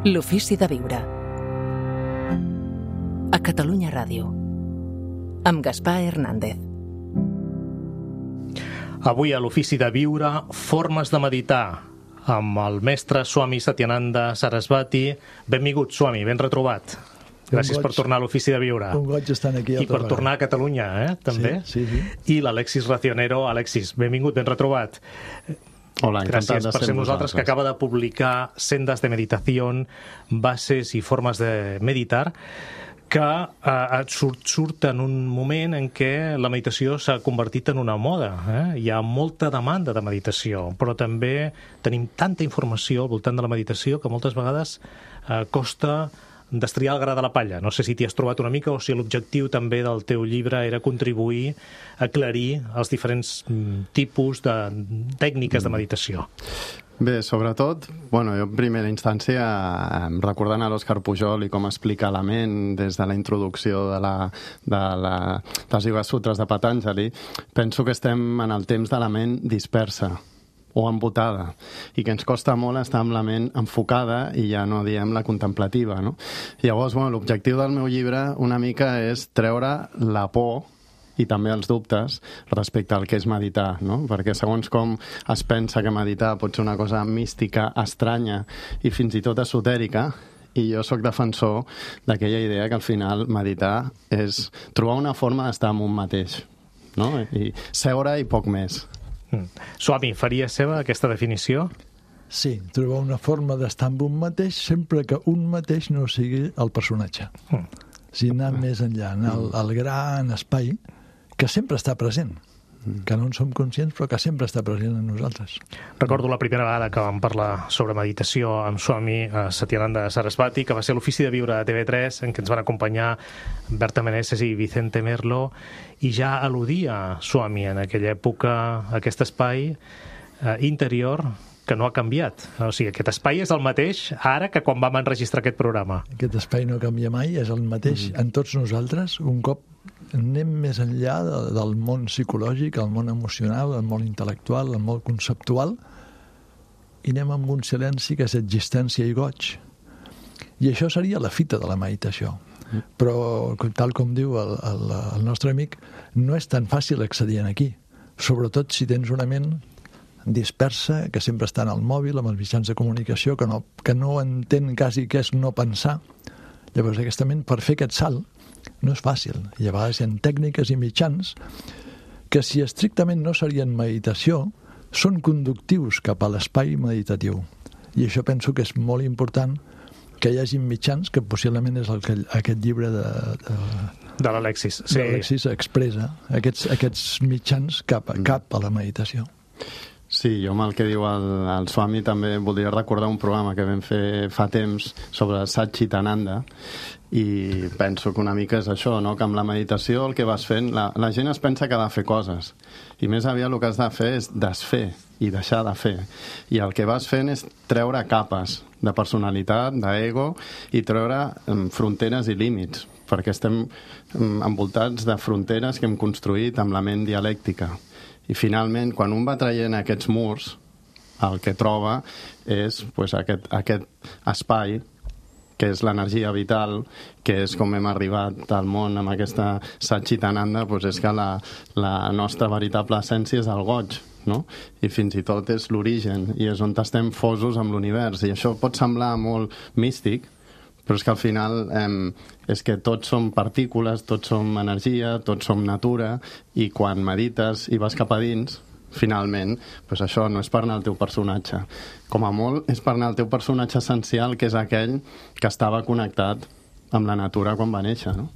L'ofici de viure. A Catalunya Ràdio. Amb Gaspar Hernández. Avui a l'ofici de viure, formes de meditar, amb el mestre Swami Satyananda Sarasvati. Benvingut, Swami, ben retrobat. Gràcies per tornar a l'ofici de viure. Un goig estar aquí. I per tornar a Catalunya, també. Sí. I l'Alexis Racionero. Alexis, benvingut, ben retrobat. Hola, gràcies per ser nosaltres, que acaba de publicar Sendas de Meditación, bases i formes de meditar, que surt en un moment en què la meditació s'ha convertit en una moda. Hi ha molta demanda de meditació, però també tenim tanta informació al voltant de la meditació que moltes vegades costa destriar el gra de la palla. No sé si t'hi has trobat una mica o si l'objectiu també del teu llibre era contribuir a aclarir els diferents tipus de tècniques de meditació. Bé, sobretot, jo en primera instància, recordant a l'Òscar Pujol i com explica la ment des de la introducció dels Yoga Sutras de Patanjali, penso que estem en el temps de la ment dispersa o embotada, i que ens costa molt estar amb la ment enfocada i ja no diem la contemplativa, no? Llavors, l'objectiu del meu llibre una mica és treure la por i també els dubtes respecte al que és meditar, no? Perquè segons com es pensa que meditar pot ser una cosa mística, estranya i fins i tot esotèrica, i jo sóc defensor d'aquella idea que al final meditar és trobar una forma d'estar amb un mateix, no? I seure i poc més. Swami, faria seva aquesta definició? Sí, trobar una forma d'estar amb un mateix sempre que un mateix no sigui el personatge. Si anar més enllà, anar al gran espai que sempre està present, que no en som conscients però que sempre està present en nosaltres. Recordo la primera vegada que vam parlar sobre meditació amb Swami Satyananda Sarasvati, que va ser l'Ofici de Viure a TV3, en què ens van acompanyar Berta Meneses i Vicente Merlo, i ja al·ludia Swami en aquella època aquest espai interior que no ha canviat. O sigui, aquest espai és el mateix ara que quan vam enregistrar aquest programa. Aquest espai no canvia mai, és el mateix en tots nosaltres. Un cop anem més enllà del món psicològic, el món emocional, el món intel·lectual, el món conceptual, i anem amb un silenci que és existència i goig. I això seria la fita de la meditació. Però, tal com diu el nostre amic, no és tan fàcil accedir aquí, sobretot si tens una ment dispersa, que sempre està en el mòbil, amb els mitjans de comunicació, que no entén quasi què és no pensar. Llavors, aquesta ment, per fer aquest salt, no és fàcil. I a vegades hi ha tècniques i mitjans que, si estrictament no serien meditació, són conductius cap a l'espai meditatiu. I això penso que és molt important, que hi hagi mitjans, que possiblement és el que aquest llibre de l'Alexis. Sí. L'Alexis expressa aquests mitjans cap a la meditació. Sí, jo amb el que diu el Swami també voldria recordar un programa que vam fer fa temps sobre Satchitananda, i penso que una mica és això, no? Que amb la meditació el que vas fent, la gent es pensa que ha de fer coses, i més aviat el que has de fer és desfer i deixar de fer, i el que vas fent és treure capes de personalitat, d'ego, i treure fronteres i límits, perquè estem envoltats de fronteres que hem construït amb la ment dialèctica. I finalment, quan un va traient aquests murs, el que troba és aquest espai, que és l'energia vital, que és com hem arribat al món amb aquesta Satchitananda, és que la nostra veritable essència és el goig, no? I fins i tot és l'origen, i és on estem fosos amb l'univers. I això pot semblar molt místic, però és que al final és que tots som partícules, tots som energia, tots som natura, i quan medites i vas cap a dins, finalment, això no és per anar al teu personatge. Com a molt és per anar al teu personatge essencial, que és aquell que estava connectat amb la natura quan va néixer, no?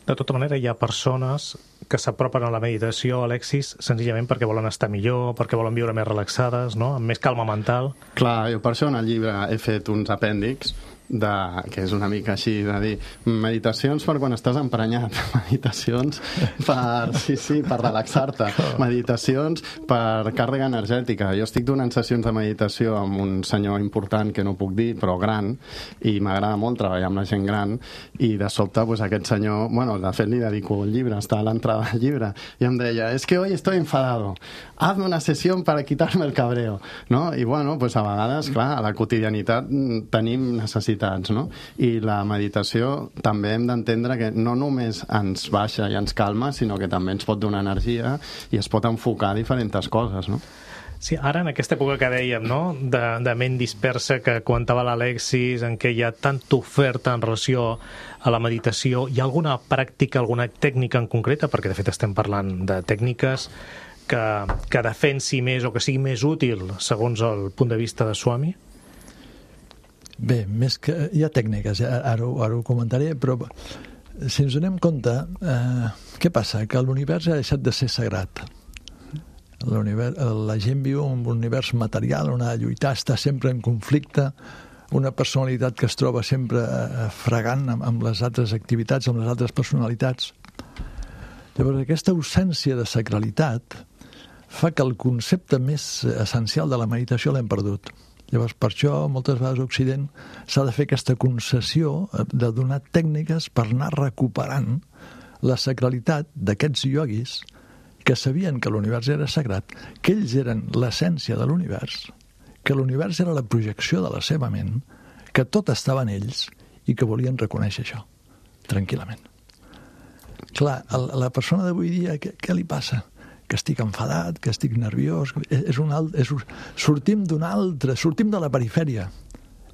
De tota manera, hi ha persones que s'apropen a la meditació, Alexis, senzillament perquè volen estar millor, perquè volen viure més relaxades, no? Amb més calma mental. Clar, jo per això en el llibre he fet uns apèndixs que és una mica així, de dir meditacions per quan estàs emprenyat, meditacions per relaxar-te, meditacions per càrrega energètica. Jo estic donant sessions de meditació amb un senyor important que no puc dir, però gran, i m'agrada molt treballar amb la gent gran, i de sobte aquest senyor, de fet li dedico un llibre, està a l'entrada del llibre, i em deia, es que hoy estoy enfadado, hazme una sesión para quitarme el cabreo, no? I a vegades, clar, a la quotidianitat tenim necessitats necessitats, no? I la meditació també hem d'entendre que no només ens baixa i ens calma, sinó que també ens pot donar energia i es pot enfocar a diferents coses, no? Sí, ara en aquesta època que dèiem, no?, de ment dispersa que comentava l'Alexis, en què hi ha tanta oferta en relació a la meditació, hi ha alguna pràctica, alguna tècnica en concreta, perquè de fet estem parlant de tècniques que defensi més o que sigui més útil segons el punt de vista de Swami? Bé, més que hi ha tècniques, ara ho comentaré, però si ens donem compte, què passa? Que l'univers ha deixat de ser sagrat. La gent viu en un univers material on ha de lluitar, està sempre en conflicte, una personalitat que es troba sempre fregant amb les altres activitats, amb les altres personalitats. Llavors, aquesta ausència de sacralitat fa que el concepte més essencial de la meditació l'hem perdut. Llavors, per això, moltes vegades a Occident s'ha de fer aquesta concessió de donar tècniques per anar recuperant la sacralitat d'aquests ioguis que sabien que l'univers era sagrat, que ells eren l'essència de l'univers, que l'univers era la projecció de la seva ment, que tot estava en ells i que volien reconèixer això, tranquil·lament. Clar, la persona d'avui dia, què li passa? Que estic enfadat, que estic nerviós... Sortim sortim de la perifèria.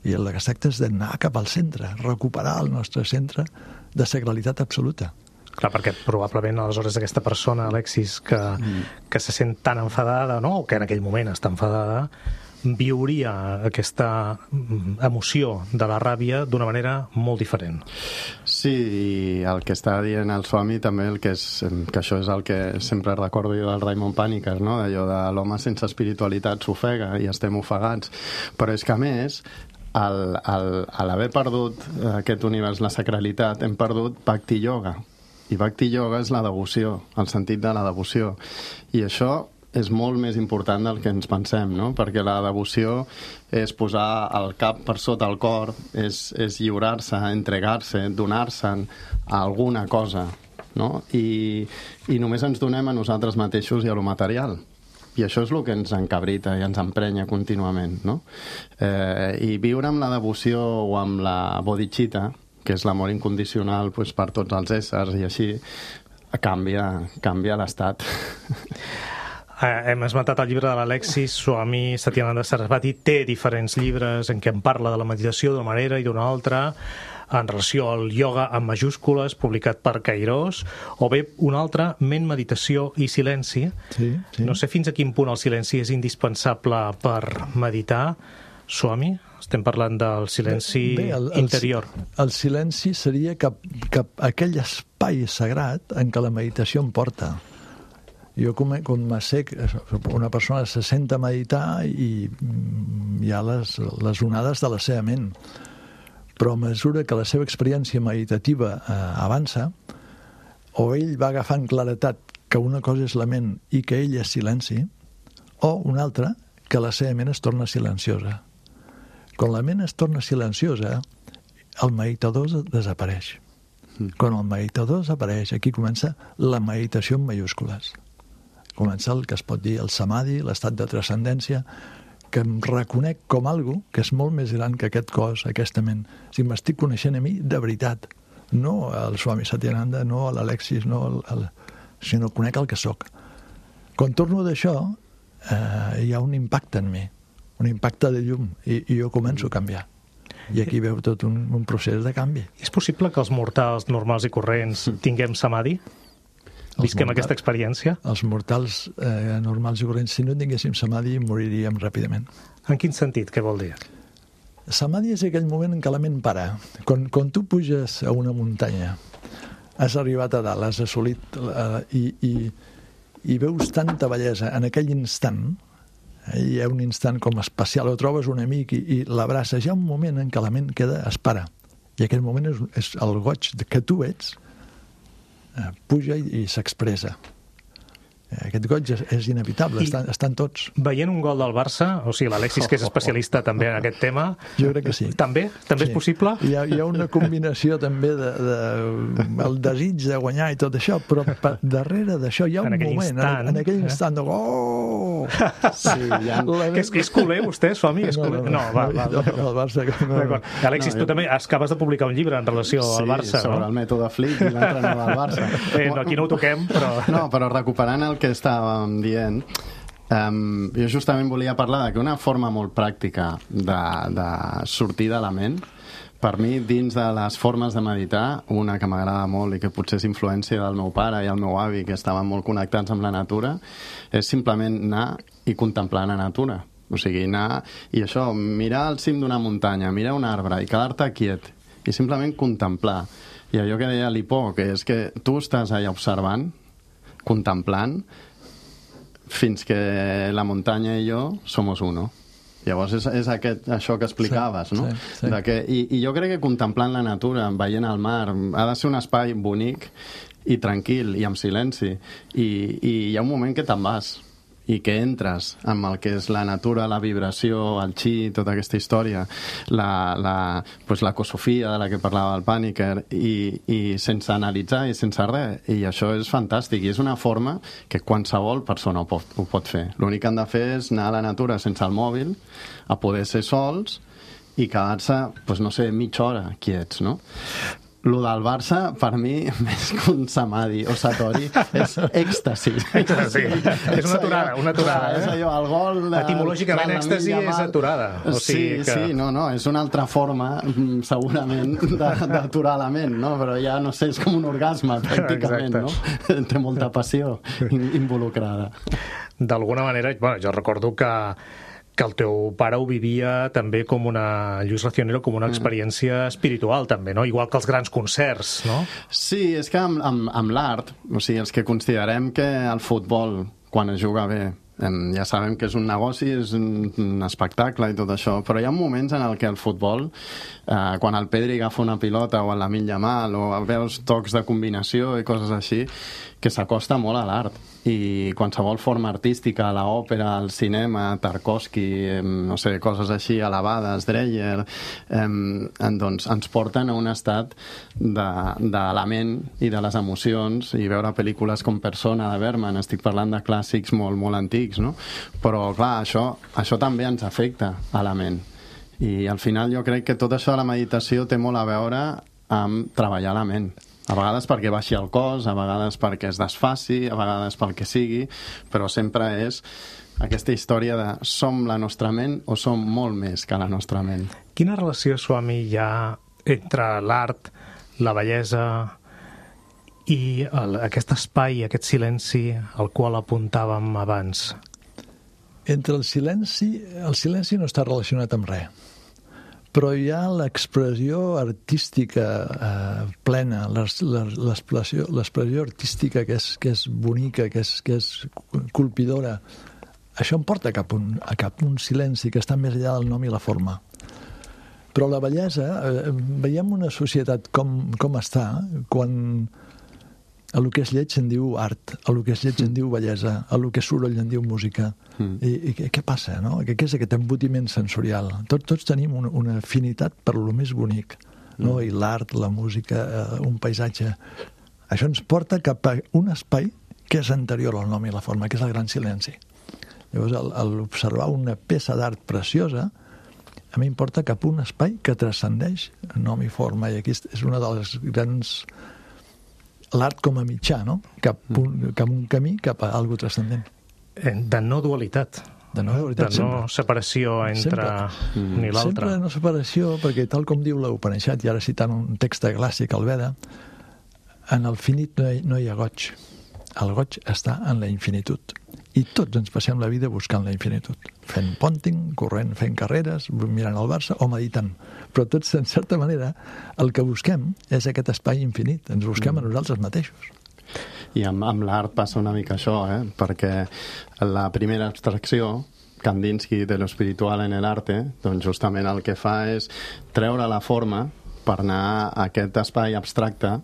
I el que es tracta és d'anar cap al centre, recuperar el nostre centre de sacralitat absoluta. Clar, perquè probablement aleshores aquesta persona, Alexis, que se sent tan enfadada, no?, o que en aquell moment està enfadada, viuria aquesta emoció de la ràbia d'una manera molt diferent. Sí, i el que està dient el Swami també, que això és el que sempre recordo jo del Raymond Panikkar, no?, allò de l'home sense espiritualitat s'ofega i estem ofegats. Però és que, a més, a l'haver perdut aquest univers, la sacralitat, hem perdut Bhakti Yoga. I Bhakti Yoga és la devoció, el sentit de la devoció. I això és molt més important del que ens pensem, no? Perquè la devoció és posar el cap per sota el cor, és lliurar-se, entregar-se, donar-se'n a alguna cosa, no? I només ens donem a nosaltres mateixos i a lo material. I això és el que ens encabrita i ens emprenya contínuament, no? I viure amb la devoció o amb la bodhicitta, que és l'amor incondicional per tots els éssers i així, canvia l'estat. Hem esmentat el llibre de l'Alexis Swami Satyananda Sarasvati, té diferents llibres en què en parla de la meditació d'una manera i d'una altra, en relació al ioga amb majúscules, publicat per Kairos, o bé un altre, Ment, Meditació i Silenci. Sí. No sé fins a quin punt el silenci és indispensable per meditar, Swami? Estem parlant del silenci interior. El silenci seria cap aquell espai sagrat en què la meditació em porta. Jo com una persona se senta a meditar i hi ha les onades de la seva ment. Però a mesura que la seva experiència meditativa avança, o ell va agafant claretat que una cosa és la ment i que ell és silenci, o una altra, que la seva ment es torna silenciosa. Quan la ment es torna silenciosa, el meditador desapareix. Quan el meditador desapareix, aquí comença la meditació en majúscules. Comença el que es pot dir el samadhi, l'estat de transcendència, que em reconec com algo que és molt més gran que aquest cos, aquesta ment. O sigui, m'estic coneixent a mi de veritat. No al Swami Satyananda, no a l'Alexis, sinó conec el que sóc. Quan torno d'això, hi ha un impacte en mi, un impacte de llum, i jo començo a canviar. I aquí veu tot un procés de canvi. És possible que els mortals normals i corrents tinguem samadhi? Visquem aquesta experiència? Els mortals normals i corrents, si no tinguéssim samadhi, moriríem ràpidament. En quin sentit? Què vol dir? Samadhi és aquell moment en què la ment para. Quan tu puges a una muntanya, has arribat a dalt, has assolit i veus tanta bellesa en aquell instant, hi ha un instant com especial, o trobes un amic i l'abraces, hi ha un moment en què la ment es para, i aquell moment és el goig que tu ets, puja i s'expressa. Aquest goig és inevitable, estan tots. Veient un gol del Barça, o sigui, l'Alexis, que és especialista també en aquest tema... Jo crec que sí. També? També és possible? Hi ha una combinació també el desig de guanyar i tot això, però darrere d'això hi ha un moment, en aquell instant de oh! Sí, És culer, vostè, Swami? No, va. El Barça... Alexis, tu també acabes de publicar un llibre en relació al Barça, no? Sí, sobre el mètode Flick i l'entrenador del Barça. Aquí no ho toquem, però... No, però recuperant el que estàvem dient, jo justament volia parlar que una forma molt pràctica de sortir de la ment, per mi, dins de les formes de meditar, una que m'agrada molt i que potser és influència del meu pare i el meu avi, que estaven molt connectats amb la natura, és simplement anar i contemplar la natura. O sigui, anar i això, mirar al cim d'una muntanya, mirar un arbre i quedar-te quiet i simplement contemplar. I allò que deia Lipó, que és que tu estàs allà observant, contemplant, fins que la muntanya i jo somos uno. Llavors és això que explicaves, no? Sí. I jo crec que contemplant la natura, veient el mar, ha de ser un espai bonic i tranquil i amb silenci. I hi ha un moment que te'n vas i que entres amb el que és la natura, la vibració, el chi, tota aquesta història, l'ecosofia de la que parlava el Paniker, i sense analitzar i sense res. I això és fantàstic, i és una forma que qualsevol persona ho pot fer. L'únic que han de fer és anar a la natura sense el mòbil, a poder ser sols i quedar-se, no sé, mitja hora quiets, no? Lo del Barça, per mi, més que un samadhi o satori, és èxtasi. Èxtasi. És una aturada. És allò, el gol... Etimològicament, èxtasi és aturada. Sí, és una altra forma, segurament, d'aturar la ment, no? Però ja, no sé, és com un orgasme, pràcticament, no? Té molta passió involucrada. D'alguna manera, jo recordo que el teu pare ho vivia també com Lluís Racionero, com una experiència espiritual també, no? Igual que els grans concerts, no? Sí, és que amb l'art, o sigui, els que considerem que el futbol, quan es juga bé, ja sabem que és un negoci, és un espectacle i tot això, però hi ha moments en el que el futbol, quan el Pedri agafa una pilota o el Lamine Yamal, o veus tocs de combinació i coses així, que s'acosta molt a l'art. I qualsevol forma artística, l'òpera, el cinema, Tarkovsky, no sé, coses així elevades, Dreyer, doncs ens porten a un estat de la ment i de les emocions, i veure pel·lícules com Persona, de Bergman, estic parlant de clàssics molt, molt antics, no? Però, clar, això també ens afecta a la ment. I al final jo crec que tot això de la meditació té molt a veure amb treballar la ment. A vegades perquè baixi el cos, a vegades perquè es desfaci, a vegades pel que sigui, però sempre és aquesta història de som la nostra ment o som molt més que la nostra ment. Quina relació, Swami, hi ha entre l'art, la bellesa i aquest espai, aquest silenci al qual apuntàvem abans? Entre el silenci no està relacionat amb res. Però hi ha l'expressió artística plena, l'expressió artística que és bonica, que és colpidora. Això em porta a cap un silenci que està més enllà del nom i la forma. Però la bellesa, veiem una societat com està, quan a lo que és lleig se'n diu art, a lo que és lleig se'n diu bellesa, a lo que és soroll se'n diu música. I què passa, no? Què és aquest embotiment sensorial? Tots tenim una afinitat per lo més bonic, no? I l'art, la música, un paisatge. Això ens porta cap a un espai que és anterior al nom i la forma, que és el gran silenci. Llavors, al observar una peça d'art preciosa, a mi em porta cap a un espai que transcendeix nom i forma, i aquí és una de les grans... L'art com a mitjà, no? Cap un camí, cap a alguna transcendent. De no dualitat. De no separació entre un i l'altre. Sempre no separació, perquè tal com diu l'Upanishad, i ara citant un text clàssic, el Veda, en el finit no hi ha goig. El goig està en la infinitud. I tots ens passem la vida buscant la infinitud. Fent pònting, corrent, fent carreres, mirant el Barça o meditant. Però tots, en certa manera, el que busquem és aquest espai infinit. Ens busquem a nosaltres mateixos. I amb l'art passa una mica això, perquè la primera abstracció, Kandinsky de lo espiritual en el arte, doncs justament el que fa és treure la forma per anar a aquest espai abstracte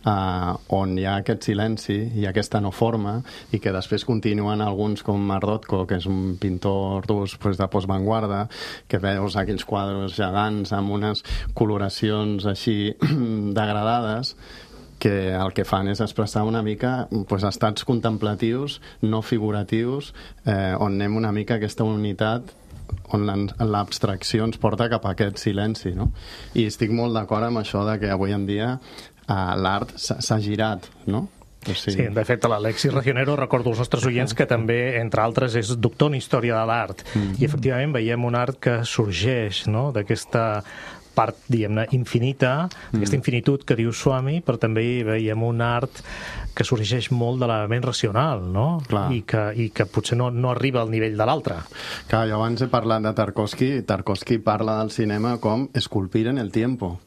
on hi ha aquest silenci i aquesta no forma, i que després continuen alguns com Rothko, que és un pintor rus de postvanguarda, que veus aquells quadres gegants amb unes coloracions així degradades, que el que fan és expressar una mica estats contemplatius, no figuratius, on anem una mica a aquesta unitat, on l'abstracció ens porta cap a aquest silenci, no? I estic molt d'acord amb això de que avui en dia l'art s'ha girat, no? Sí, de fet, l'Alexis Regionero, recordo als nostres oients que també, entre altres, és doctor en història de l'art. I efectivament veiem un art que sorgeix, no?, d'aquesta part, diguem-ne, infinita, aquesta infinitud que diu Swami, però també veiem un art que sorgeix molt de la ment racional, no? I que potser no arriba al nivell de l'altre. Clar, jo abans he parlat de Tarkovsky. Tarkovsky parla del cinema com esculpir en el tiempo.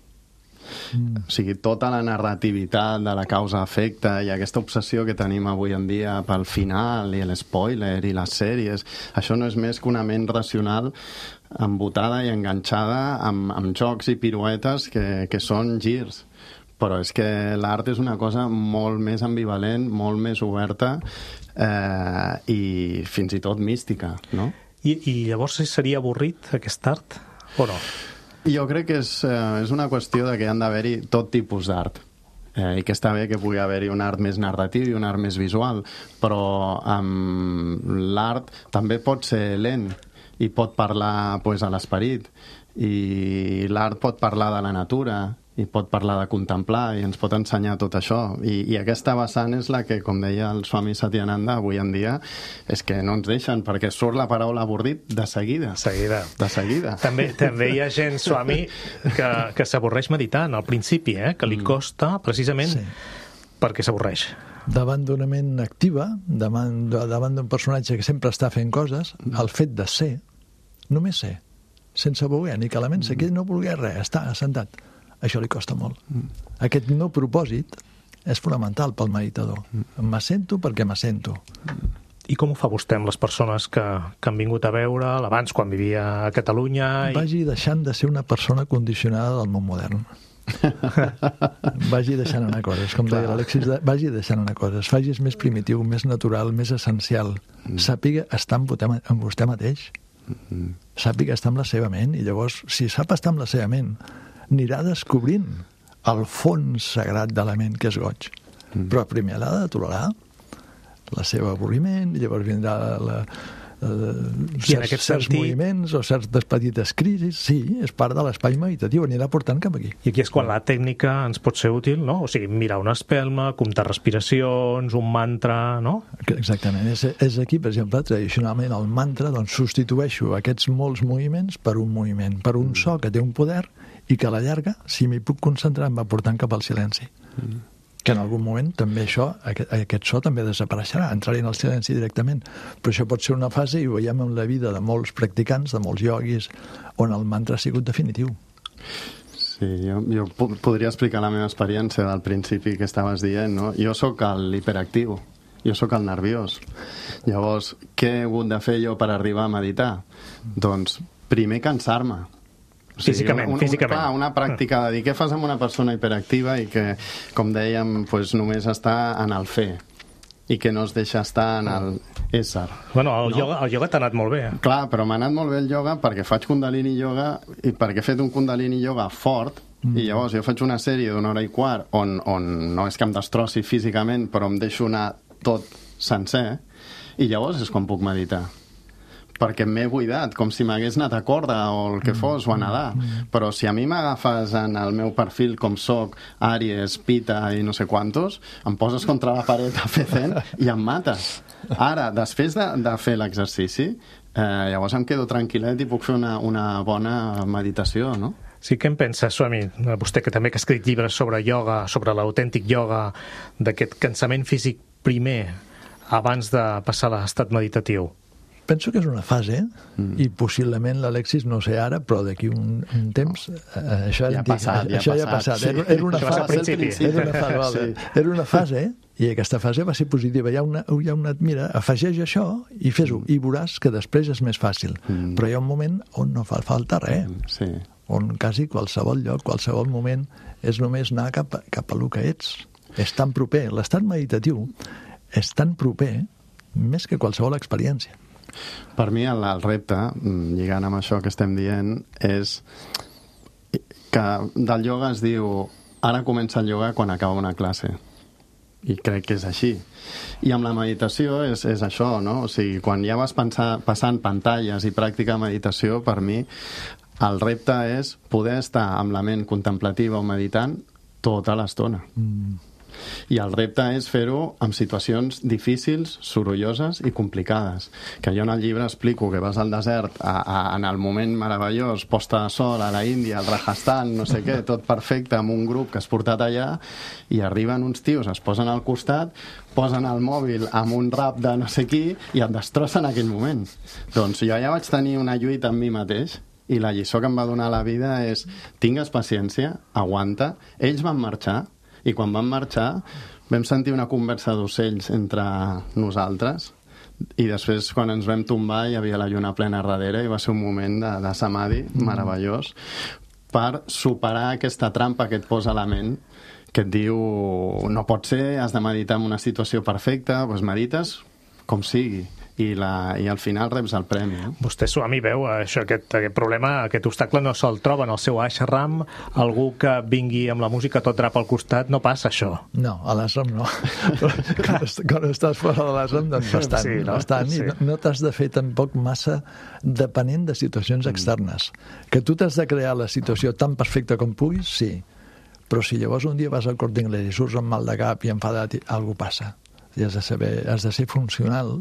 O sigui, tota la narrativitat de la causa-efecte i aquesta obsessió que tenim avui en dia pel final i l'espoiler i les sèries, això no és més que una ment racional embotada i enganxada amb jocs i piruetes que són girs. Però és que l'art és una cosa molt més ambivalent, molt més oberta i fins i tot mística, no? I llavors seria avorrit aquest art o no? Jo crec que és una qüestió de que han d'haver-hi tot tipus d'art. I que està bé que pugui haver-hi un art més narratiu i un art més visual, però l'art també pot ser lent i pot parlar a l'esperit, i l'art pot parlar de la natura i pot parlar de contemplar i ens pot ensenyar tot això, i aquesta vessant és la que, com deia el Swami Satyananda, avui en dia és que no ens deixen, perquè surt la paraula avorrit de seguida. De seguida. També hi ha gent, Swami, que s'avorreix meditant al principi, que li costa precisament perquè s'avorreix. Davant d'una ment activa, davant d'un personatge que sempre està fent coses, el fet de ser, només ser, sense voler, ni que la ment s'aquell no vulgui res, està assentat. Això li costa molt. Aquest no propòsit és fonamental pel meditador. M'assento perquè m'assento. I com ho fa vostè amb les persones que han vingut a veure'l abans, quan vivia a Catalunya? Vagi deixant de ser una persona condicionada del món modern. Vagi deixant anar coses, com deia l'Alexis, vagi deixant anar coses. Facis més primitiu, més natural, més essencial. Sàpiga estar amb vostè mateix. Sàpiga estar amb la seva ment, i llavors, si sap estar amb la seva ment, anirà descobrint el fons sagrat de la ment, que és goig. Però primer l'ha de tolerar, el seu avorriment, i llavors vindrà certs moviments o certes petites crisis. Sí, és part de l'espai meditatiu, anirà portant cap aquí. I aquí és quan la tècnica ens pot ser útil, no? O sigui, mirar una espelma, comptar respiracions, un mantra, no? Exactament. És aquí, per exemple, tradicionalment el mantra, doncs substitueixo aquests molts moviments per un moviment, per un so que té un poder i que a la llarga, si m'hi puc concentrar, em va portant cap al silenci. Que en algun moment també aquest so també desapareixerà, entraré en el silenci directament. Però això pot ser una fase, i ho veiem en la vida de molts practicants, de molts ioguis, on el mantra ha sigut definitiu. Sí, jo podria explicar la meva experiència del principi que estaves dient, no? Jo sóc l'hiperactiu, jo sóc el nerviós. Llavors, què he hagut de fer jo per arribar a meditar? Doncs, primer cansar-me. O sigui, físicament. Clar, una pràctica de dir què fas amb una persona hiperactiva i que, com dèiem, només està en el fer i que no es deixa estar en el ésser. Bueno, el ioga t'ha anat molt bé. Clar, però m'ha anat molt bé el ioga perquè faig Kundalini Yoga i perquè he fet un Kundalini Yoga fort, i llavors jo faig una sèrie d'una hora i quart on no és que em destrossi físicament, però em deixo anar tot sencer, i llavors és quan puc meditar. Perquè m'he buidat, com si m'hagués anat a corda o el que fos, o a nedar. Però si a mi m'agafes en el meu perfil com soc, Àries, Pita i no sé quantos, em poses contra la paret a fer zen i em mates. Ara, després de fer l'exercici, llavors em quedo tranquil·let i puc fer una bona meditació, no? Sí, què en pensa, Swami? Vostè que també ha escrit llibres sobre ioga, sobre l'autèntic ioga, d'aquest cansament físic primer, abans de passar a l'estat meditatiu. Penso que és una fase, i possiblement l'Alexis, no sé ara, però d'aquí un temps, això ja ha passat. Era una fase, era una fase, i aquesta fase va ser positiva. Mira, afegeix això i fes-ho, i veuràs que després és més fàcil. Però hi ha un moment on no fa falta res, on quasi qualsevol lloc, qualsevol moment, és només anar cap a lo que ets. És tan proper. L'estat meditatiu és tan proper més que qualsevol experiència. Per mi el repte, lligant amb això que estem dient, és que del ioga es diu ara comença el ioga quan acaba una classe. I crec que és així. I amb la meditació és això, no? O sigui, quan ja vas passant pantalles i pràctica de meditació, per mi, el repte és poder estar amb la ment contemplativa o meditant tota l'estona. I el repte és fer-ho en situacions difícils, sorolloses i complicades. Que jo en el llibre explico que vas al desert en el moment meravellós, posta de sol a la Índia, al Rajasthan, no sé què, tot perfecte, amb un grup que has portat allà, i arriben uns tios, es posen al costat, posen el mòbil amb un rap de no sé qui i et destrossen en aquell moment. Doncs jo ja vaig tenir una lluita amb mi mateix, i la lliçó que em va donar la vida és: tingues paciència, aguanta. Ells van marxar, i quan van marxar vam sentir una conversa d'ocells entre nosaltres, i després quan ens vam tombar hi havia la lluna plena darrere i va ser un moment de samadhi meravellós per superar aquesta trampa que et posa la ment, que et diu no pot ser, has de meditar en una situació perfecta. Doncs medites com sigui i al final reps el premi. Vostè, Swami, veu això, aquest problema, aquest obstacle no se'l troba en el seu ashram. Algú que vingui amb la música tot drap al costat, no passa això. No, a l'ashram no. Quan estàs fora de l'ashram, doncs bastant. Sí, no? Bastant. Sí. I no t'has de fer tampoc massa depenent de situacions externes. Que tu t'has de crear la situació tan perfecta com puguis, sí. Però si llavors un dia vas al Corte Inglés i surts amb mal de cap i enfadat, alguna passa. I has de ser funcional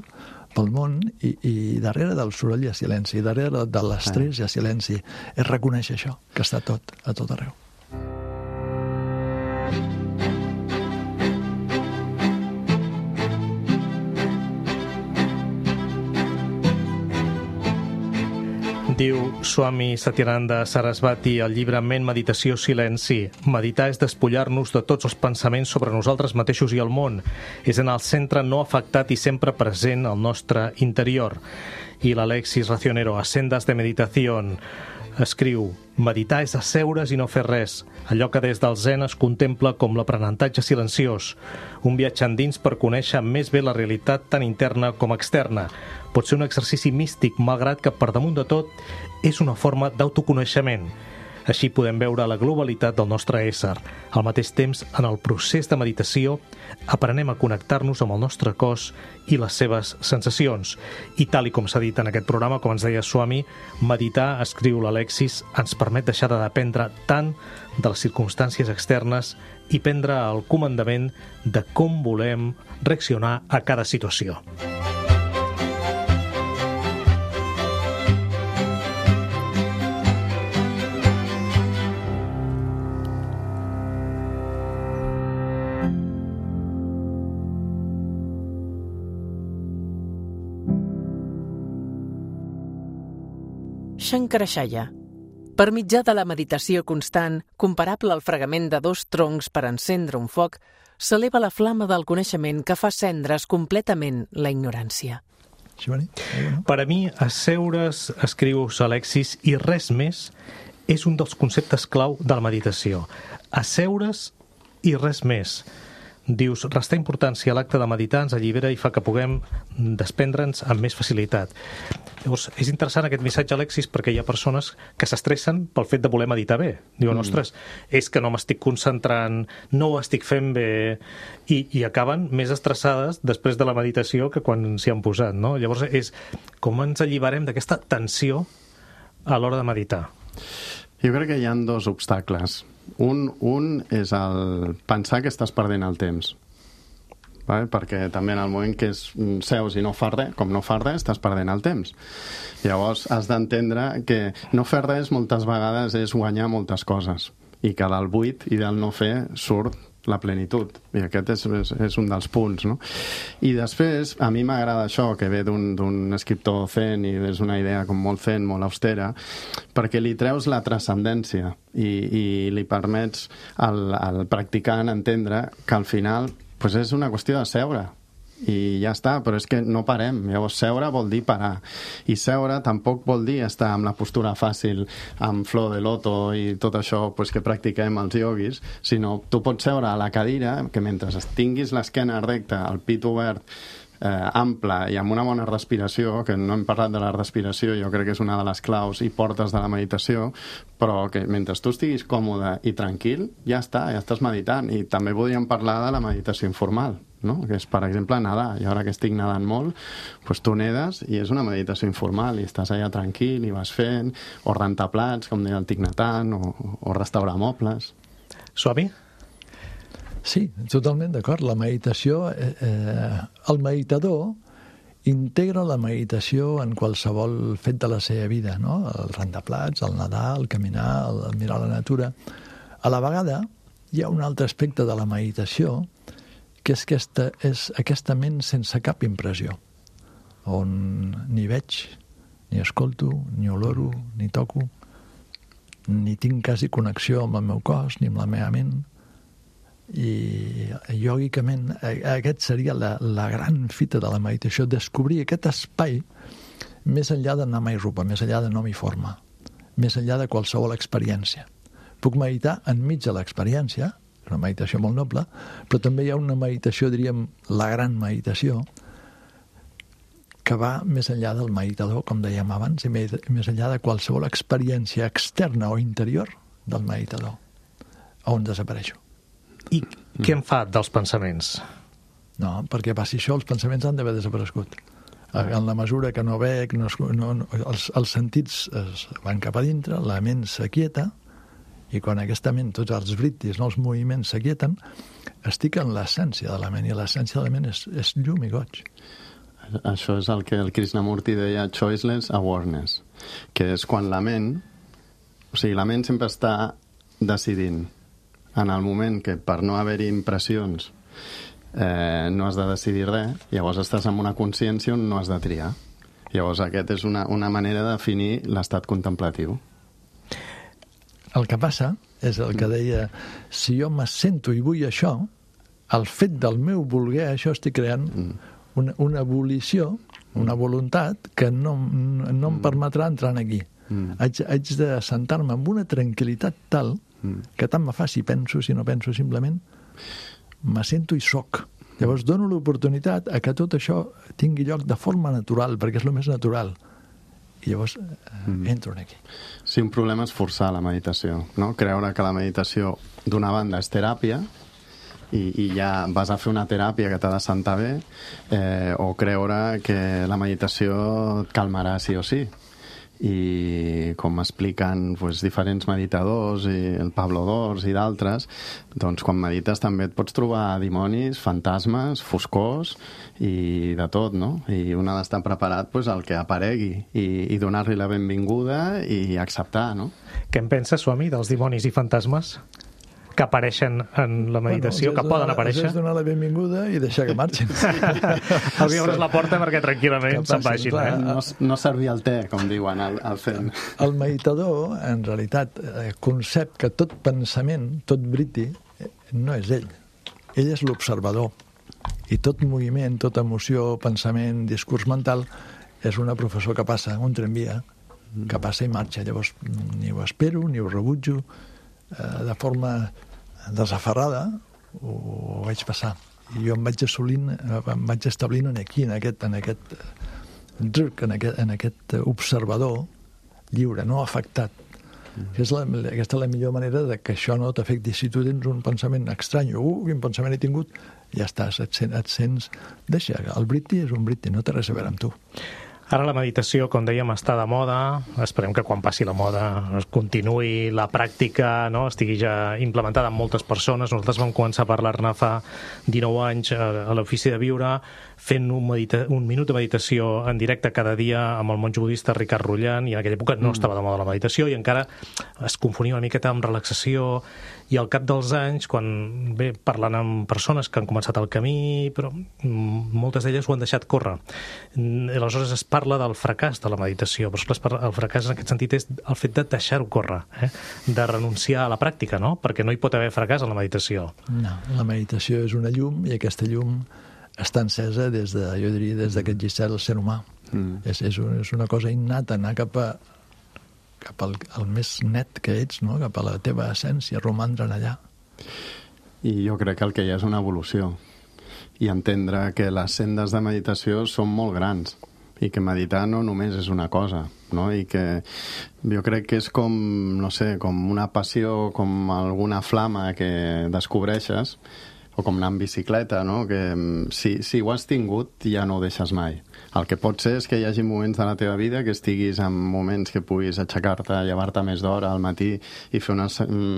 pel món, i darrere del soroll hi ha silenci, darrere de l'estrès hi ha silenci. És reconèixer això, que està a tot arreu. Diu Swami Satyananda Sarasvati al llibre Ment, Meditació, Silenci: meditar és despullar-nos de tots els pensaments sobre nosaltres mateixos i el món. És anar al centre no afectat i sempre present al nostre interior. I l'Alexis Racionero, a Sendas de Meditación, escriu: meditar és asseure's i no fer res, allò que des del zen es contempla com l'aprenentatge silenciós, un viatge endins per conèixer més bé la realitat tant interna com externa. Pot ser un exercici místic, malgrat que per damunt de tot és una forma d'autoconeixement. Així podem veure la globalitat del nostre ésser. Al mateix temps, en el procés de meditació, aprenem a connectar-nos amb el nostre cos i les seves sensacions. I tal i com s'ha dit en aquest programa, com ens deia Swami, meditar, escriu l'Alexis, ens permet deixar de dependre tant de les circumstàncies externes i prendre el comandament de com volem reaccionar a cada situació. Shankaracharya. Per mitjà de la meditació constant, comparable al fregament de 2 troncs per encendre un foc, s'eleva la flama del coneixement que fa cendres completament la ignorància. Per a mi, asseure's, escriu Alexis, i res més, és un dels conceptes clau de la meditació. Asseure's i res més. Dius, restar importància a l'acte de meditar ens allibera i fa que puguem desprendre'ns amb més facilitat. Llavors, és interessant aquest missatge, Alexis, perquè hi ha persones que s'estressen pel fet de voler meditar bé. Diuen, ostres, és que no m'estic concentrant, no ho estic fent bé, i acaben més estressades després de la meditació que quan s'hi han posat, no? Llavors, és com ens alliberem d'aquesta tensió a l'hora de meditar. Jo crec que hi ha 2 obstacles. Un és el pensar que estàs perdent el temps. Vale? Perquè també en el moment que seus i no fas res, com no fas res, estàs perdent el temps. Llavors has d'entendre que no fer res moltes vegades és guanyar moltes coses, i que del buit i del no fer surt la plenitud, i aquest és un dels punts, no? I després, a mi m'agrada això, que ve d'un escriptor zen, i és una idea com molt zen, molt austera, perquè li treus la transcendència i li permets al practicant entendre que al final és una qüestió de seure i ja està, però és que no parem. Llavors seure vol dir parar, i seure tampoc vol dir estar amb la postura fàcil, amb flor de loto i tot això pues, que practiquem els ioguis, sinó tu pots seure a la cadira que mentre tinguis l'esquena recta, el pit obert, ample i amb una bona respiració, que no hem parlat de la respiració, jo crec que és una de les claus i portes de la meditació, però que mentre tu estiguis còmode i tranquil, ja està, ja estàs meditant. I també podríem parlar de la meditació informal, no? Que és, per exemple, nedar. I ara que estic nedant molt, doncs tu nedes i és una meditació informal i estàs allà tranquil i vas fent, o rentar plats, com deia el Thich Nhat Hanh, o restaurar mobles. Swami? Sí, totalment d'acord. La meditació, el meditador integra la meditació en qualsevol fet de la seva vida, no? El rentar plats, el nedar, el caminar, el mirar la natura. A la vegada, hi ha un altre aspecte de la meditació, que és aquesta ment sense cap impressió, on ni veig, ni escolto, ni oloro, ni toco, ni tinc quasi connexió amb el meu cos, ni amb la meva ment. I iògicament aquest seria la gran fita de la meditació, descobrir aquest espai més enllà de nama i rupa, més enllà de nom i forma, més enllà de qualsevol experiència. Puc meditar enmig de l'experiència, una meditació molt noble, però també hi ha una meditació, diríem, la gran meditació, que va més enllà del meditador, com dèiem abans, i més enllà de qualsevol experiència externa o interior del meditador, on desapareixo. I què en fa dels pensaments? No, perquè passi això, els pensaments han d'haver desaparegut. En la mesura que no veig, els sentits es van cap a dintre, la ment s'aquieta, i quan aquesta ment, tots els britis, els moviments s'aquieten, estic en l'essència de la ment, i l'essència de la ment és llum i goig. Això és el que el Krishnamurti deia choiceless awareness, que és quan la ment, o sigui, la ment sempre està decidint. En el moment que per no haver-hi impressions no has de decidir res, llavors estàs en una consciència on no has de triar. Llavors aquest és una manera de definir l'estat contemplatiu. El que passa és el que deia, si jo me sento i vull això, el fet del meu voler això estic creant una volició, una voluntat que no em permetrà entrar aquí. Haig de sentar-me amb una tranquil·litat tal que tant me fa si penso, si no penso, simplement me sento i soc. Llavors dono l'oportunitat a que tot això tingui lloc de forma natural, perquè és el més natural. I llavors entro aquí. Sí, un problema és forçar la meditació, no? Creure que la meditació, d'una banda, és teràpia, i ja vas a fer una teràpia que t'ha de sentar bé, o creure que la meditació et calmarà sí o sí. I com expliquen diferents meditadors, i el Pablo Dors i d'altres, doncs quan medites també et pots trobar dimonis, fantasmes, foscors i de tot, no? I un ha d'estar preparat al que aparegui i donar-li la benvinguda i acceptar, no? Què en penses, Swami, dels dimonis i fantasmes que apareixen en la meditació, que poden aparèixer? És donar la benvinguda i deixar que marxin. Els obres la porta perquè tranquil·lament se'n vagin. No servir el te, com diuen al Zen. El meditador, en realitat, concep que tot pensament, tot vritti, no és ell. Ell és l'observador. I tot moviment, tota emoció, pensament, discurs mental, és una professor que passa, un tramvia, que passa i marxa. Llavors, ni ho espero, ni ho rebutjo, de forma desaferrada ho vaig passar, i jo em vaig establint aquí, en aquest observador lliure, no afectat. Aquesta és la millor manera de que això no t'afecti. Si tu tens un pensament estrany, quin pensament he tingut, ja estàs, et sents, deixa, el britti és un britti, no té res a veure amb tu. Ara la meditació, com dèiem, està de moda. Esperem que quan passi la moda es continuï la pràctica, no? Estigui ja implementada en moltes persones. Nosaltres vam començar a parlar-ne fa 19 anys a l'Ofici de Viure, fent un minut de meditació en directe cada dia amb el monjo budista Ricard Rullan, i en aquella època no estava de moda la meditació i encara es confonia una miqueta amb relaxació, i al cap dels anys, quan parlant amb persones que han començat el camí, però moltes d'elles ho han deixat córrer. Aleshores es parla del fracàs de la meditació, però el fracàs en aquest sentit és el fet de deixar-ho córrer, de renunciar a la pràctica, no? Perquè no hi pot haver fracàs en la meditació. No, la meditació és una llum, i aquesta llum està encesa des de, jo diria, des que existeix el ser humà. És una cosa innata, anar cap al més net que ets, no? Cap a la teva essència, romandre allà. I jo crec que el que hi ha és una evolució, i entendre que les sendes de meditació són molt grans, i que meditar no només és una cosa, no? I que jo crec que és com, no sé, com una passió, com alguna flama que descobreixes, o com anar en bicicleta, no? Que si ho has tingut ja no ho deixes mai. El que pot ser és que hi hagi moments de la teva vida que estiguis en moments que puguis aixecar-te, llevar-te més d'hora al matí i fer una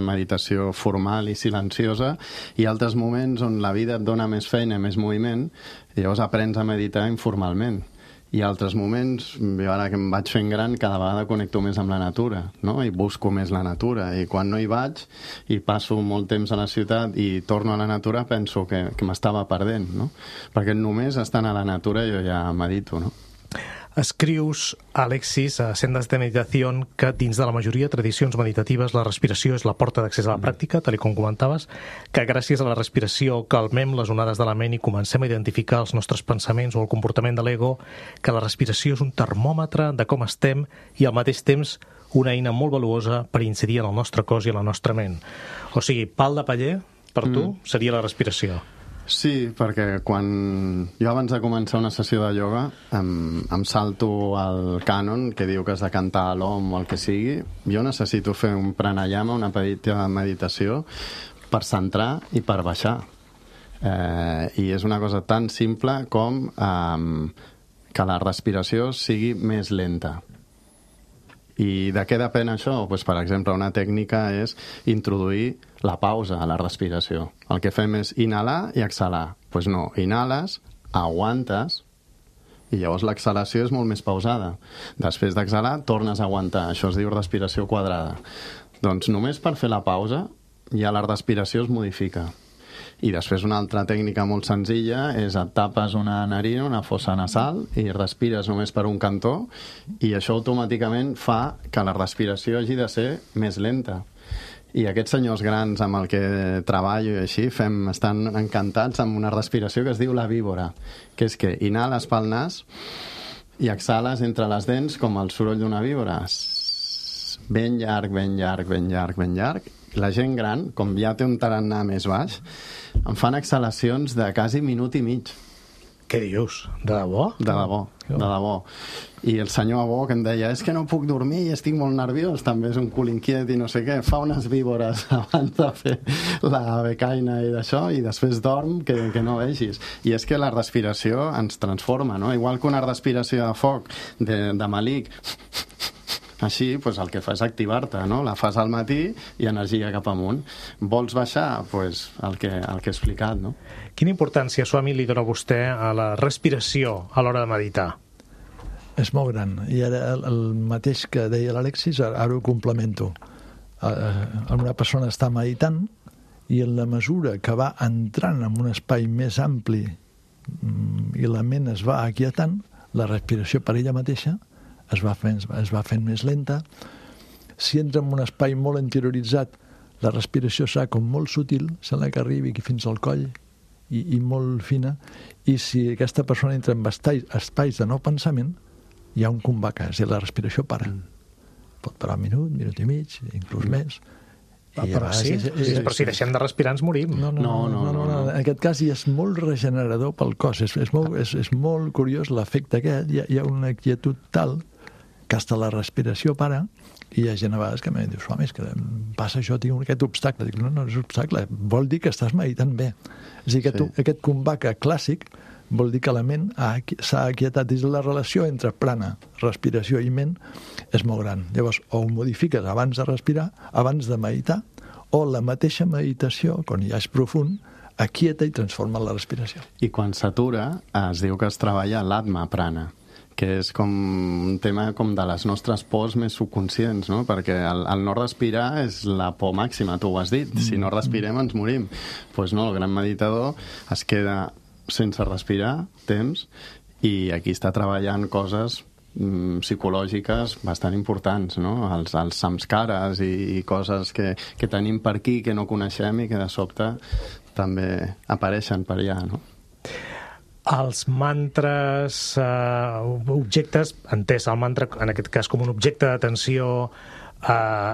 meditació formal i silenciosa, i altres moments on la vida et dona més feina, més moviment, i llavors aprens a meditar informalment. I altres moments, jo ara que em vaig fent gran, cada vegada connecto més amb la natura, no? I busco més la natura, i quan no hi vaig i passo molt temps a la ciutat i torno a la natura, penso que m'estava perdent, no? Perquè només estant a la natura jo ja medito, no? Escrius, Alexis, a Sendes de Meditación, que dins de la majoria de tradicions meditatives la respiració és la porta d'accés a la pràctica, tal com comentaves, que gràcies a la respiració calmem les onades de la ment i comencem a identificar els nostres pensaments o el comportament de l'ego, que la respiració és un termòmetre de com estem i al mateix temps una eina molt valuosa per incidir en el nostre cos i en la nostra ment. O sigui, pal de paller, per tu, seria la respiració. Sí, perquè quan jo abans de començar una sessió de ioga em salto al cànon que diu que has de cantar a l'om o el que sigui. Jo necessito fer un pranayama, una petita meditació per centrar i per baixar. I és una cosa tan simple com que la respiració sigui més lenta. I de què depèn això? Pues, per exemple, una tècnica és introduir la pausa a la respiració. El que fem és inhalar i exhalar. Pues no, inhales, aguantes, i llavors l'exhalació és molt més pausada. Després d'exhalar, tornes a aguantar. Això es diu respiració quadrada. Doncs només per fer la pausa ja la respiració es modifica. I després una altra tècnica molt senzilla és et tapes una narina, una fossa nasal, i respires només per un cantó, i això automàticament fa que la respiració hagi de ser més lenta. I aquests senyors grans amb el que treballo i així estan encantats amb una respiració que es diu la víbora, que és que inhales pel nas i exhales entre les dents com el soroll d'una víbora. Ben llarg, ben llarg, ben llarg, ben llarg. La gent gran, com ja té un tarannà més baix, em fan exhalacions de quasi minut i mig. Què dius? De debò? De debò, de debò. I el senyor Abó que em deia és que no puc dormir i estic molt nerviós, també és un cul inquiet i no sé què, fa unes víbores abans de fer la becaina i d'això, i després dorm que no vegis. I és que la respiració ens transforma, no? Igual que una respiració de foc, de malic, així, pues, el que fa és activar-te, no? La fas al matí i energia cap amunt. Vols baixar? Pues, el que he explicat, no? Quina importància, Swami, li dona vostè a la respiració a l'hora de meditar? És molt gran. I ara el mateix que deia l'Alexis, ara ho complemento. Una persona està meditant i en la mesura que va entrant en un espai més ampli i la ment es va aquietant, la respiració per ella mateixa es va fent més lenta. Si entra en un espai molt interioritzat, la respiració serà com molt sutil, sembla que arribi fins al coll i molt fina, i si aquesta persona entra en espais de no pensament, hi ha un combaca, és a dir, la respiració para. Pot parar un minut i mig, inclús més. Però si deixem de respirar ens morim. No. En aquest cas ja és molt regenerador pel cos. És molt curiós l'efecte aquest. Hi ha una quietud tal que hasta la respiració para, i hi ha gent a vegades que em diu, Swami, és que passa això, tinc aquest obstacle. Dic, no és obstacle, vol dir que estàs meditant bé. És a dir, aquest combaca clàssic vol dir que la ment s'ha aquietat. La relació entre prana, respiració i ment és molt gran. Llavors, o ho modifiques abans de respirar, abans de meditar, o la mateixa meditació, quan ja és profund, aquieta i transforma la respiració. I quan s'atura, es diu que es treballa l'atma prana, que és com un tema com de les nostres pors més subconscients, no? Perquè el no respirar és la por màxima, tu ho has dit. Si no respirem ens morim. Doncs no, el gran meditador es queda sense respirar temps i aquí està treballant coses psicològiques bastant importants, no? Els samskaras i coses que tenim per aquí que no coneixem i que de sobte també apareixen per allà, no? Els mantres, objectes, entès el mantra en aquest cas com un objecte d'atenció,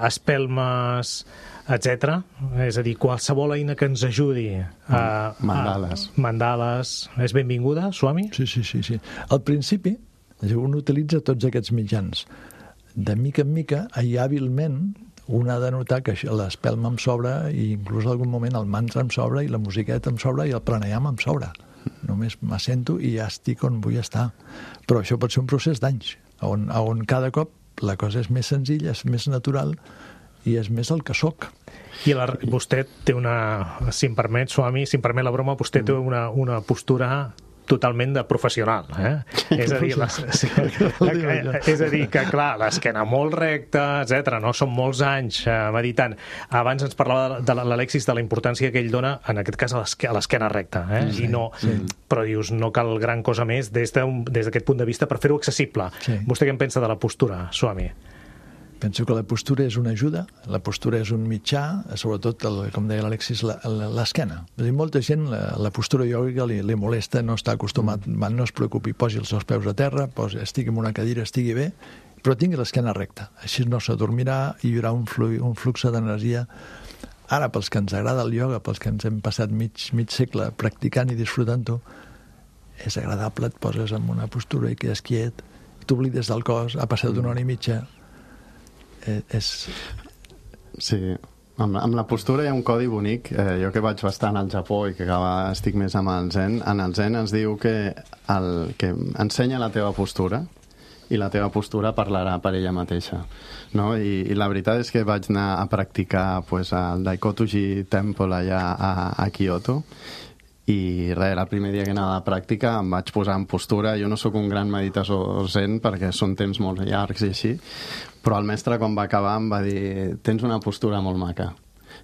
espelmes, etc. És a dir, qualsevol eina que ens ajudi mandales. És benvinguda, Swami? Sí. Al principi, un utilitza tots aquests mitjans. De mica en mica, i hàbilment, un ha de notar que l'espelma em sobra i inclús en algun moment el mantra em sobra i la musiqueta em sobra i el pranayama em sobra. Només m'assento i ja estic on vull estar. Però això pot ser un procés d'anys, on cada cop la cosa és més senzilla, és més natural i és més el que soc. I vostè té si em permet, Swami, si em permet la broma, vostè té una postura totalment de professional, És a dir, que clar, l'esquena molt recta, etc. No? Són molts anys meditant. Abans ens parlava de l'Alexis de la importància que ell dona, en aquest cas, a l'esquena recta, Sí. Però dius, no cal gran cosa més des d'aquest punt de vista per fer-ho accessible. Sí. Vostè què en pensa de la postura, Swami? Penso que la postura és una ajuda, la postura és un mitjà, sobretot, com deia l'Alexis, l'esquena. Molta gent la postura iògica li molesta, no està acostumat, no es preocupi, posi els seus peus a terra, estigui en una cadira, estigui bé, però tingui l'esquena recta. Així no s'adormirà i hi haurà un flux d'energia. Ara, pels que ens agrada el ioga, pels que ens hem passat mig segle practicant i disfrutant-ho, és agradable, et poses en una postura i quedes quiet, t'oblides del cos, ha passat una hora i mitja. Sí, amb la postura hi ha un codi bonic. Jo que vaig bastant al Japó i que estic més amb el Zen, en el Zen ens diu que ensenya la teva postura i la teva postura parlarà per ella mateixa, no? I la veritat és que vaig anar a practicar al Daikotuji Temple allà a Kyoto i res, el primer dia que anava a pràctica em vaig posar en postura. Jo no sóc un gran meditador zen perquè són temps molt llargs i així, però el mestre quan va acabar em va dir tens una postura molt maca,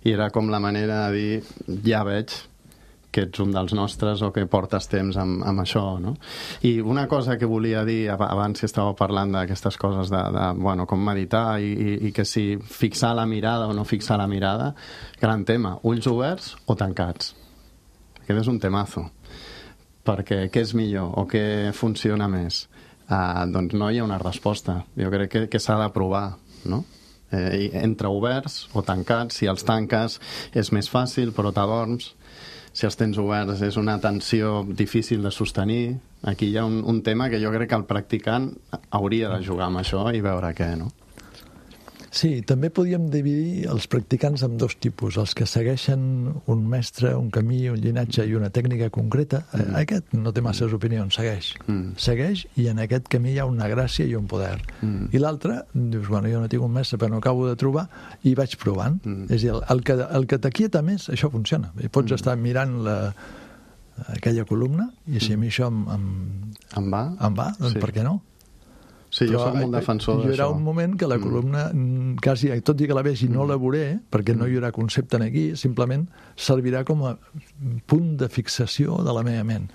i era com la manera de dir ja veig que ets un dels nostres o que portes temps amb això, no? I una cosa que volia dir abans que estàveu parlant d'aquestes coses com meditar i que si fixar la mirada o no fixar la mirada, gran tema, ulls oberts o tancats. Aquest és un temazo, perquè què és millor o què funciona més? Doncs no hi ha una resposta. Jo crec que s'ha de provar, no? Entre oberts o tancats. Si els tanques és més fàcil, però t'adorms. Si els tens oberts és una tensió difícil de sostenir. Aquí hi ha un tema que jo crec que el practicant hauria de jugar amb això i veure què, no? Sí, també podíem dividir els practicants en dos tipus, els que segueixen un mestre, un camí, un llinatge i una tècnica concreta. Aquest no té masses opinions, segueix i en aquest camí hi ha una gràcia i un poder. I l'altre, dius, jo no tinc un mestre però no acabo de trobar i vaig provant. És a dir, el que t'aquieta més, això funciona. I pots estar mirant aquella columna i si a mi això em va, doncs per què no? Sí, jo soc molt defensor d'això. Hi haurà un moment que la columna, quasi, tot i que la vegi, no la veuré, perquè no hi haurà concepte aquí, simplement servirà com a punt de fixació de la meva ment.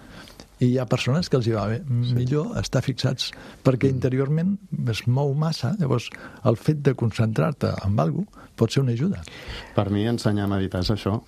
I hi ha persones que els hi va bé. Millor estar fixats, perquè interiorment es mou massa, llavors el fet de concentrar-te en alguna cosa pot ser una ajuda. Per mi ensenyar a meditar és això.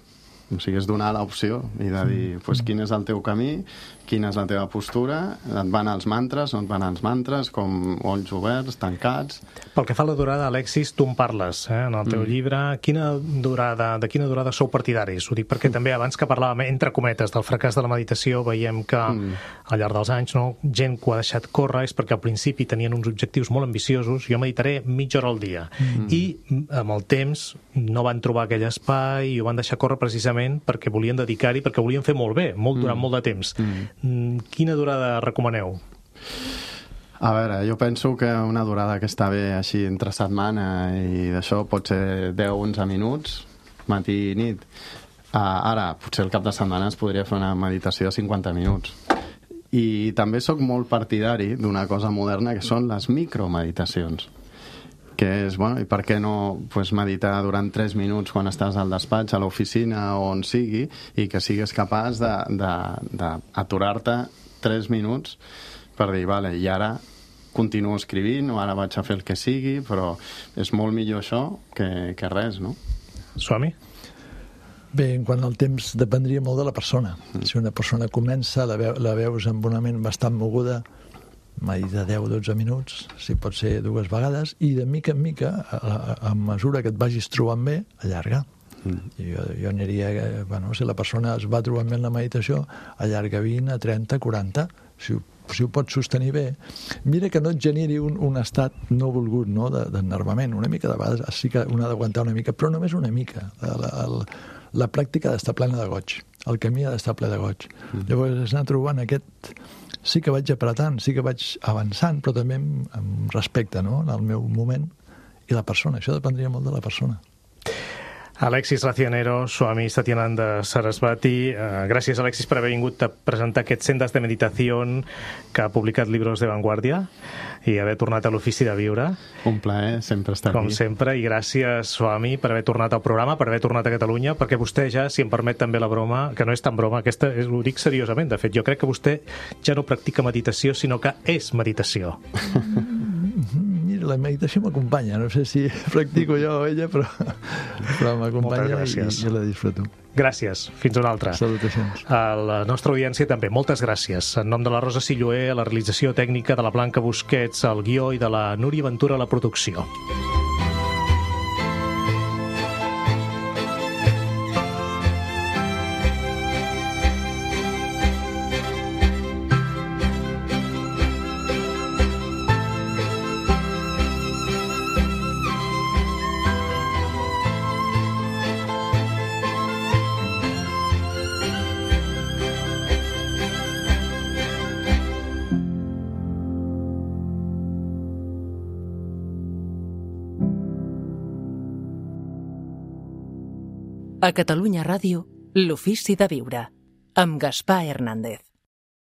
O sigui, és donar l'opció i de dir quin és el teu camí, quina és la teva postura, et van els mantres, no et van els mantres, com ulls oberts, tancats... Pel que fa a la durada, Alexis, tu en parles en el teu llibre. De quina durada sou partidaris? Ho dic perquè també abans que parlàvem, entre cometes, del fracàs de la meditació, veiem que al llarg dels anys gent que ho ha deixat córrer és perquè al principi tenien uns objectius molt ambiciosos. Jo meditaré mitja hora al dia. I amb el temps no van trobar aquell espai i ho van deixar córrer precisament perquè volien dedicar-hi, perquè volien fer molt bé, durant molt de temps. Quina durada recomaneu? A veure, jo penso que una durada que està bé així entre setmana i d'això pot ser 10-11 minuts, matí i nit. Ara, potser el cap de setmana es podria fer una meditació de 50 minuts. I també sóc molt partidari d'una cosa moderna que són les micromeditacions, que és, i per què no meditar durant 3 minuts quan estàs al despatx, a l'oficina o on sigui, i que sigues capaç d'aturar-te 3 minuts per dir, vale, i ara continuo escrivint o ara vaig a fer el que sigui, però és molt millor això que res, no? Swami? Bé, en quant al temps dependria molt de la persona. Si una persona comença, la veus amb una ment bastant moguda, m'ha dit de 10-12 minuts, si pot ser 2 vegades, i de mica en mica, a mesura que et vagis trobant bé, allarga. Jo aniria, si la persona es va trobant bé en la meditació, allarga 20, 30, 40, si ho pots sostenir bé. Mira que no et generi un estat no volgut, no, d'enervament. Una mica de vegades sí que un ha d'aguantar una mica, però només una mica. La pràctica ha d'estar plena de goig. El camí ha d'estar ple de goig. Llavors, anar trobant aquest... Sí que vaig apretant, sí que vaig avançant, però també amb respecte, no?, en el meu moment i la persona. Això dependria molt de la persona. Alexis Racionero, Swami Satyananda Sarasvati. Gràcies, Alexis, per haver vingut a presentar aquest Sendas de Meditación que ha publicat Libros de Vanguardia i haver tornat a l'Ofici de Viure. Un plaer sempre estar aquí. Com sempre, i gràcies, Swami, per haver tornat al programa, per haver tornat a Catalunya, perquè vostè ja, si em permet també la broma, que no és tan broma, aquesta ho dic seriosament, de fet, jo crec que vostè ja no practica meditació, sinó que és meditació. Mira, la meditació m'acompanya, no sé si practico jo o ella, però m'acompanya i jo la disfruto. Gràcies, fins una altra. Salutacions. A la nostra audiència també, moltes gràcies. En nom de la Rosa Silloé, a la realització tècnica, de la Blanca Busquets, al guió, i de la Núria Ventura a la producció. A Catalunya Ràdio, l'Ofici de Viure, amb Gaspar Hernández.